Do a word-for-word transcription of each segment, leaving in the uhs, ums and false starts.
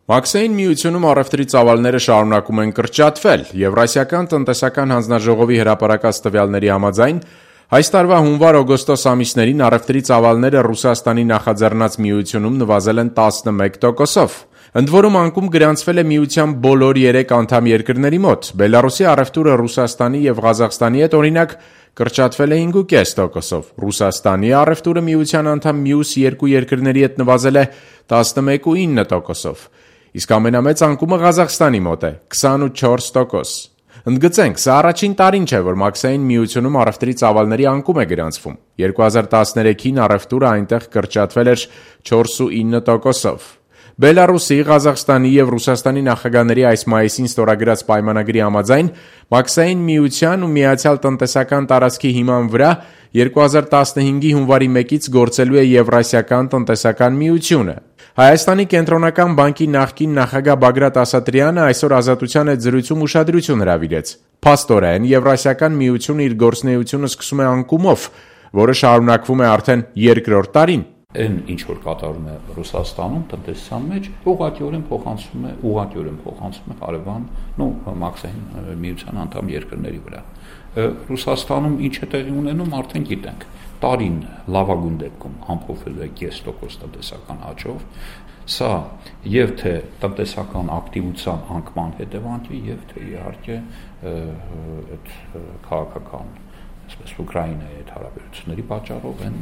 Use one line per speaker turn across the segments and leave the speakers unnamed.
Մաքսային միությունում առևտրի ծավալները շարունակում են կրճատվել։ Եվրասիական տնտեսական հանձնաժողովի հրապարակած տվյալների համաձայն այս տարվա հունվար-օգոստոս ամիսներին առևտրի ծավալները Ռուսաստանի նախաձեռնած միությունում նվազել են տասնմեկ տոկոսով։ Ընդ որում անկում գրանցվել է միության բոլոր երեք անդամ երկրների մոտ։ Բելարուսի առևտուրը Ռուսաստանի և Ղազախստանի հետ օրինակ կրճատվել է հինգ կես տոկոսով։ Ռուսաստանի առևտուրը միության անդամ մյուս երկու երկրների հետ նվազել է տասնմեկ ու ինը տոկոսով։ Իսկ ամենամեծ անկումը Ղազախստանի մոտ է՝ քսանուչորս տոկոս։ Ընդգծենք, սա առաջին տարին չէ, որ Մաքսային միությունում առևտրի ծավալների անկում է գրանցվում։ երկու հազար տասներեքին առևտուրը այնտեղ կրճատվել էր չորս ու ինը տոկոսով։ Բելարուսի, Ղազախստանի և Ռուսաստանի նախագահների այս մայիսին ստորագրած պայմանագրի համաձայն Մաքսային միության ու Միացյալ տնտեսական տարածքի հիման վրա երկու հազար տասնհինգի հունվարի մեկից գործելու է Եվրասիական տնտեսական միությունը։ Հայաստանի կենտրոնական բանկի նախկին նախագահ Բագրատ Ասատրյանը այսօր Ազատության հետ զրույցում ուշադրություն հրավիրեց։ Փաստորեն, Եվրասիական միությունը իր գործունեությունը սկսում է անկումով, որը շարունակվում է արդեն երկրորդ տարին։
Այն ինչ որ կատարում է Ռուսաստանում տնտեսության մեջ, ուղղակիորեն փոխանցվում է, ուղղակիորեն փոխանցվում է հարևան, նո Մաքսային միության անդամ երկրների վրա։ Ռուսաստանում ինչ է տեղի ունենում, արդեն գիտենք։ Տարին լավագույն դեպքում ամփոփելու է կես տոկոս տնտեսական աճով։ Սա եւ թե տնտեսական ակտիվության անկման հետևանք է, եւ թե իհարկե այդ քաղաքական այսպես Ուկրաինայի հետ հարաբերությունների պատճառով են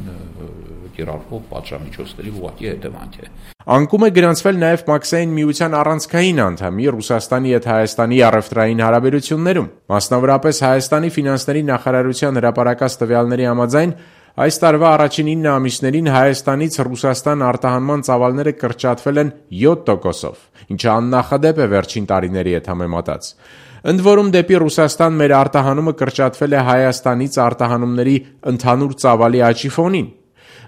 կիրառվող պատժամիջոցների ուղղակի հետևանք է։
Անկում է գրանցվել նաև Մաքսային միության առանցքային անդամի Ռուսաստանի հետ Հայաստանի առևտրային հարաբերություններում։ Մասնավորապես Հայաստանի ֆինանսների նախարարության հրապարակած տվյալների համաձայն այս տարվա առաջին ինը ամիսներին Հայաստանից Ռուսաստան արտահանման ծավալները կրճատվել են յոթ տոկոսով, ինչը աննախադեպ է վերջին տարիների հետ համեմատած։ Ընդ որում դեպի Ռուսաստան մեր արտահանումը կրճատվել է Հայաստանից արտահանումների ընդհանուր ծավալի աճի ֆոնին։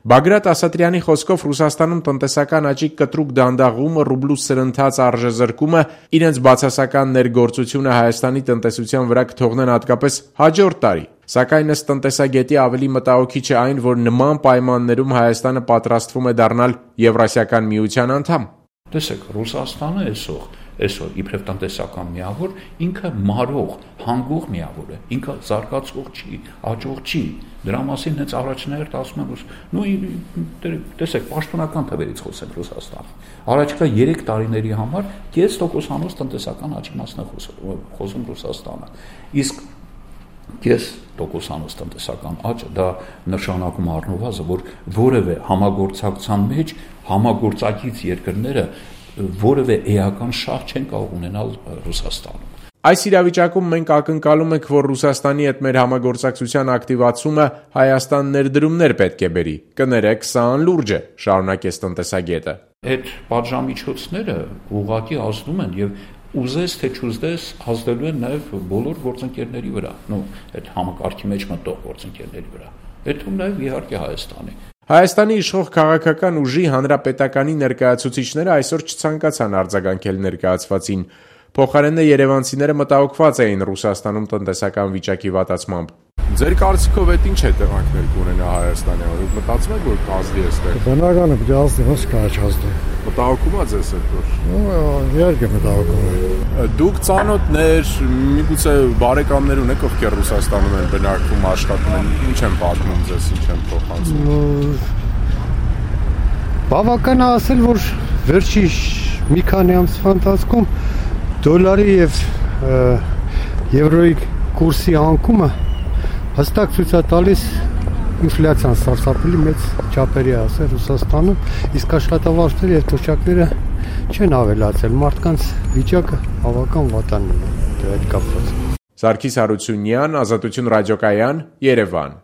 Բագրատ Ասատրյանի խոսքով Ռուսաստանում տնտեսական աճի կտրուկ դանդաղումը, ռուբլու սրընթաց արժեզրկումը իրենց բացասական ներգործությունը Հայաստանի տնտեսության վրա կթողնեն հատկապես հաջորդ տարի։ Սակայն ըստ տնտեսագետի ավելի մտահոգիչ է այն, որ նման պայմաններում Հայաստանը պատրաստվում է դառնալ Եվրասիական միության անդամ։
Տեսեք, Ռուսաստանը այսօր այսօր իբրև տնտեսական միավոր ինքը մարող, հանգող միավոր է, ինքը զարգացող չի, աճող չի։ Դրա մասին հենց առաջնահերթ ասում են, նույ տեսեք, պաշտոնական թվերից խոսենք Ռուսաստանը։ Առաջիկա երեք տարիների համար կես տոկոսանոց տնտեսական աճի մասն է խոսում Ռուսաստանը։ Իսկ կես տոկոսանոց տնտեսական աճը դա նշանակում առնվազն, որ որևէ համագործակցության մեջ համագործակից երկրները որևէ էական շահ չեն կարող ունենալ Ռուսաստանում։
Այս իրավիճակում մենք ակնկալում ենք, որ Ռուսաստանի հետ մեր համագործակցության ակտիվացումը Հայաստան ներդրումներ պետք է բերի։ Կներեք, սա անլուրջ է, շարունակեց տնտեսագետը։
Այդ պատժամիջոցները ուղղակի ազդում են եւ ուզես թե չուզես ազդելու են նաեւ բոլոր գործընկերների վրա, նո այդ համակարգի մեջ մտող գործընկերների վրա։ Այդում նաեւ իհարկե Հայաստանի։
Հայաստանի իշխող քաղաքական ուժի հանրապետականի ներկայացուցիչները այսօր չցանկացան արձագանքել ներկայացվածին։ Փոխարենը երևանցիները մտահոգված էին Ռուսաստանում տնտեսական վիճակի վատացմամբ։ Ձեր կարծիքով այդ ինչ հետևանքներ կունենա Հայաստանի համար։ Մտածում եք, որ կազդի էստեղ։
Բնական է, դասի ոնց կաչազդի։
Մտահոգում ա ձեզ այդ որ։
Իհարկե մտահոգում է։
Դուք ծանոթներ, միգուցե բարեկամներ ունեք, ովքեր Ռուսաստանում են բնակվում, աշխատում են, ինչ են պատմում ձեզ, ինչ են փոխանցում։
Բավական է ասել, որ վերջի մի քանի ամսվա ընթացքում դոլարի եւ եվրոյի կուրսի անկումը հստակ ցույց է տալիս ինֆլյացիան սարսափելի մեծ չափերի է ասել Ռուսաստանում, իսկ աշխատավարձերը եւ թոշակները չեն ավելացել, մարդկանց վիճակը բավական վատանն է դրա հետ կապված։
Սարգիս Հարությունյան, Ազատություն ռադիոկայան, Երևան։